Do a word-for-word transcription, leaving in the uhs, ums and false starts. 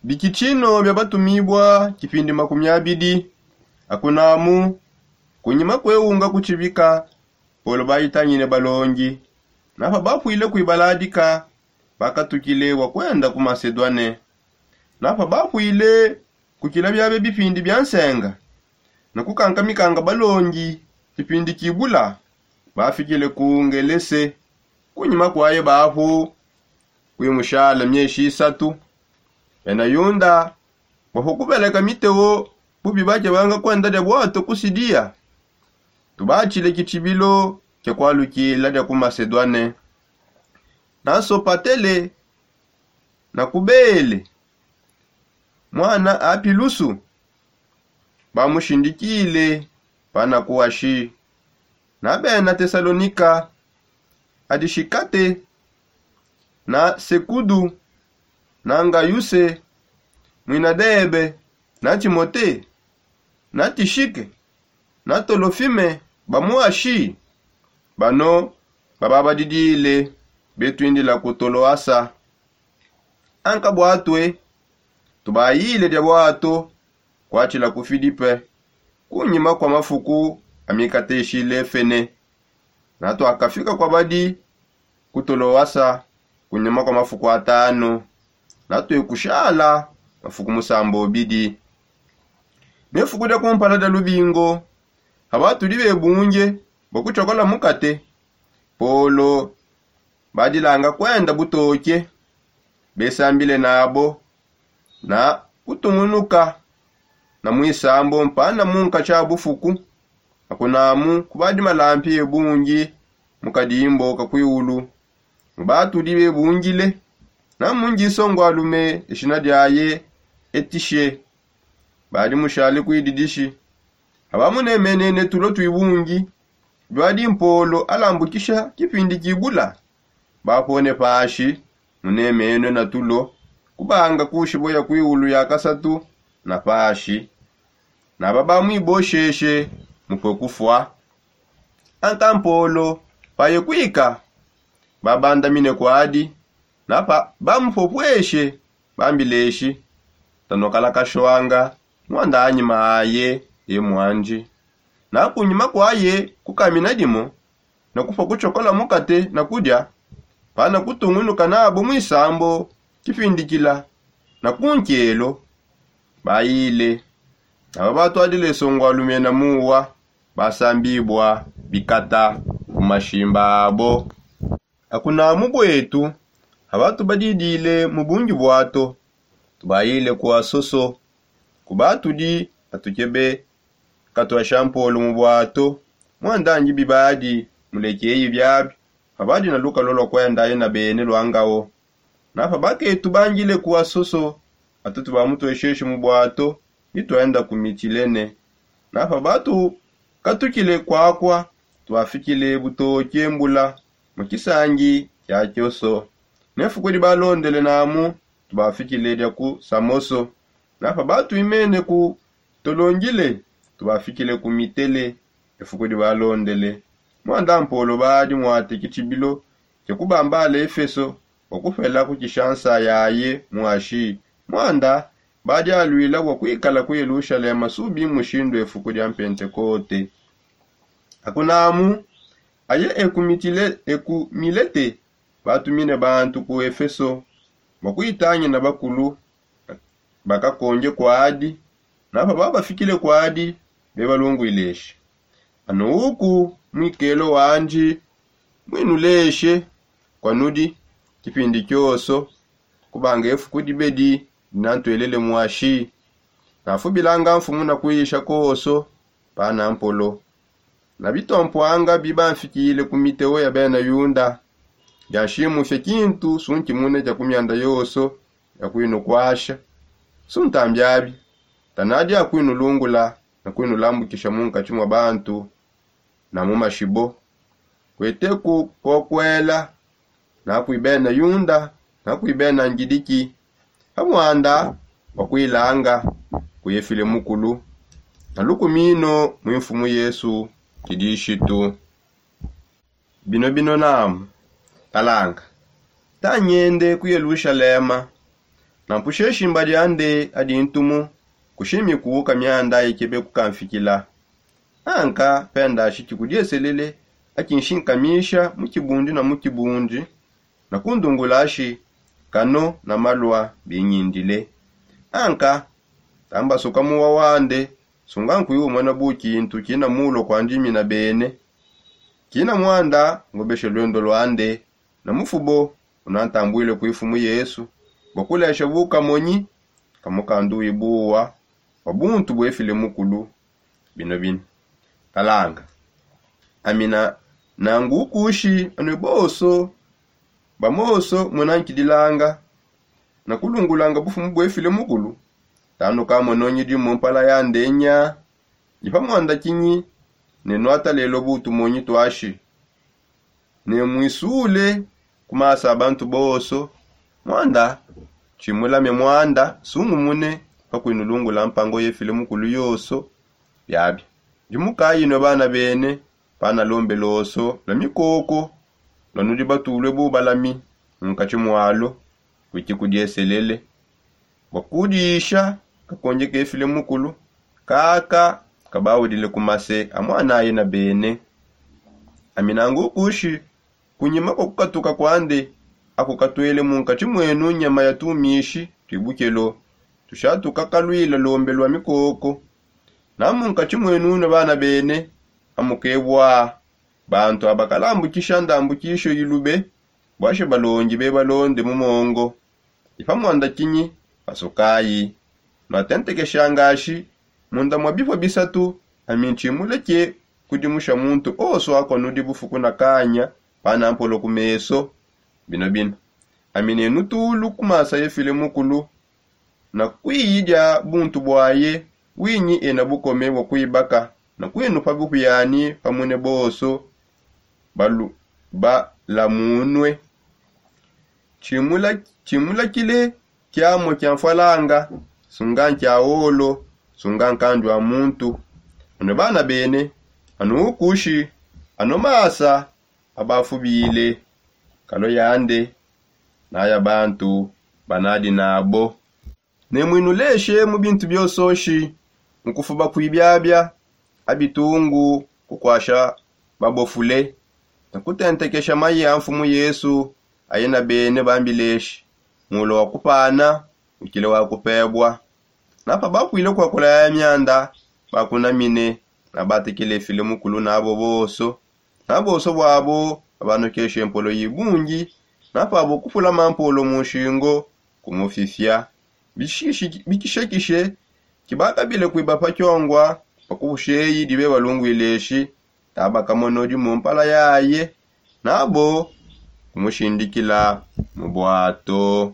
Bikitshino bia batumibua kipindi makumi abidi. Akunamu kunyima kueunga kutshibika, polo baitangine balongi. Napa bapuile kuibaladika, bakatukile bua kuenda ku masedwane. Napa bapuile kukila biabe bipindi bia nsenga, ne kukankamikanga balongi kipindi kibula, bafikile ku ngelese. Kunyima kuaye bapu kuimushala mieshi isatu. Bena yunda bapua kubeleka miteo bubi bakebanga kuenda dia buato ku sidiya. Tubatshile kitshibilo kia kualukila dia ku masedwane. Na sopatele na kubele muana apilusu bamushindikile panakuwashi. Na bena tesalonika adishikate na sekudu na ngayuse mwina debe na timote na tishike na tolofime bamuwashi. Bano bababadidile betuindila ku toloasa. Anka buatue tubayile dia buato kuatshila ku filipe kunyima kua mafuku amikateshile fene. Na tuakafika kuabadi ku toloasa kunyima kua mafuku atanu. Na tuekushala mafuku musamba obidi. Ne fuku dia kumpala dia lubingo, pabatudi bebunge bua kutshiokola mukate, polo badilanga kuenda butoke besambile nabo na kutungunuka na muisambo mpana munka tshia bufuku. Akunamu kubadi malampi ebungi mu kadimbo ka kuiulu. Mubatudi bebungile na mungi songo alume eshina diaye etishe badi mushale kuididishi. Abamunemenene tulo tuibungi biadi mpolo alambukisha kipindi kibula. Bapone pashi munemenwe na tulo kubanga kushibo ya kuiulu ya kasatu na pashi. Naba bamwibosheshe mupue kufua. Anka mpolo paye kuika babandamine kuadi. Napa bamupopueshe bambileshi tanukala kashwanga muanda anyima aye ye muanji. Na kunyima kuaye kukamina dimo na kupua kutshiokola mukate na kudia pana kutungunuka nabo muisambo kipindikila na kunkelo. Bayile naba batuadile songo alume na muwa basambibua bikata ku mashimba abo. Akunamu buetu abatu badidile mu bungi buato tubayile ku asoso. Kubatudi atukebe katuasha mpolo mu buato muandangi bibadi mulekeyi biabi. Abadi na lukalua lua kuendaye na bene luangao. Napa baketu bangile ku asoso atutu bamutuesheshi mu buato. Bituenda ku mitilene. Napa batu katukile kuakua tubafikile butoke mbula mu kisangi kia kioso. Ne fuku dibalondele namu tubafikile dia ku samoso. Napa batuimene ku tolongile tubafikile ku mitele. Efuku dibalondele muanda mpolo badi muate kitshibilo kia kubambala efeso bua kupela kukisha nsa yaye muashi. Muanda badi aluila bua kuikala ku yelushalema subi mushindu efuku dia mpentekote. Akunamu aye eku milete batumine bantu ku efeso bua kuitangina bakulu bakakonge kuadi. Napa babafikile kuadi bebalunguileshi. Anu uku muikelo wandi muinuleshe kuanudi kipindi kioso kubanga efuku dibedi dinantuelele muashi. Nafubilanga mfumu na kuisha koso pana mpolo. Na bitompuanga bibamfikile ku miteo ya bena yunda bianshimufe kintu sunkimune kia ku mianda yoso ya kuinukuasha. Suntambiabi tanadi akuinulungula na kuinulambukisha munkatshi mua bantu na mu mashibo. Kueteku kokuela na kui bena yunda na kui bena ngidiki pa muanda wa kuilanga kuyefile mukulu na lukumino mui mfumu yesu kidishitu. Bino bino namu talanga tangende ku yelushalema. Nampushe shimba diande adi ntumu kushimiku ka mianda ikebe kukamfikila. Anka pendashi kikudieselele akinshikamisha mu kibundi na mu kibundi, na kundungulashi kano na malua binyindile. Anka tambasuka muwa wande, sunga nkuiumona bu kintu kina mulua kuandimina bene. Kina muanda ngubeshe luendo luande na mufubo unantambuile ku ifumu yesu bua kulesha bukamonyi kamukanduyi buwa bua buntu buefile mukulu. Bino bino talanga amina nangu ukushi anue bonso bamonso munankidilanga na kulungulanga bufumu buefile mukulu. Tanuka mononyi dimu mpala ya ndenya ndi pa muanda kinyi ne nuata lelo bu tumonyi tuashi ne muisule ku masa a bantu bonso. Muanda tshimulame muanda sungumune pa kuinulungula mpango yefile mukulu yonso. Biabia ndi mukayi nue bana bene panalombe lonso lua mikoko lua nudi batulue bubalami mu nkatshi mualo. Kuiki kudieselele bua kudisha kakonje kefile mukulu kaka kabaudile ku mase a muanaye na bene. Aminangu kushi kunyima kua kukatuka kuande aku katuele munkatshi muenu nyama ya tumishi tui bukelo tushatuka kaluila lombe lua mikoko. Na munkatshi muenu ne bana bene amukebua bantu abakalambukisha ndambukisho ilube buashi balongi bebalonde mu mongo. Ipa muanda kinyi pasukayi nuatentekesha ngashi munda mua bipua bisatu. Ami ntshimuleke kudimusha muntu onso akua nudi bufuku na kanya pana mpolo ku meso. Bino bino ami nenu tulu ku masa efile mukulu na kuiyi dia buntu buaye winyi ena bukome bua kuibaka na kuinupa bupiani pamune bonso balamunue. Tshimulakile kiamua kia mfualanga sunga nkia olo sunga nkandu a muntu. Anu bana bene anu ukushi anu masa abafubile kalo yande naya bantu banadi nabo. Ne muinuleshe mu bintu bionsoshi mu kufuba kuibiabia abitungu kukuasha babofule ne kutentekesha mayi a mfumu yesu aye na bene bambileshi mulo wa kupana ukile wa kupebua. Napa bapuile kuakula yaya mianda bakunamine na batekele file mukulu nabo bonso na bonso buabo babanukeshe mpolo yi bungi. Napa abo kupula mampolo mu nshingo kumufifia bikishekishe kibakabile kuiba pa kiongua pa kupusheyi dibe balunguileshi. Tabakamonodi mu mpala yaye nabo kumushindikila mu buato.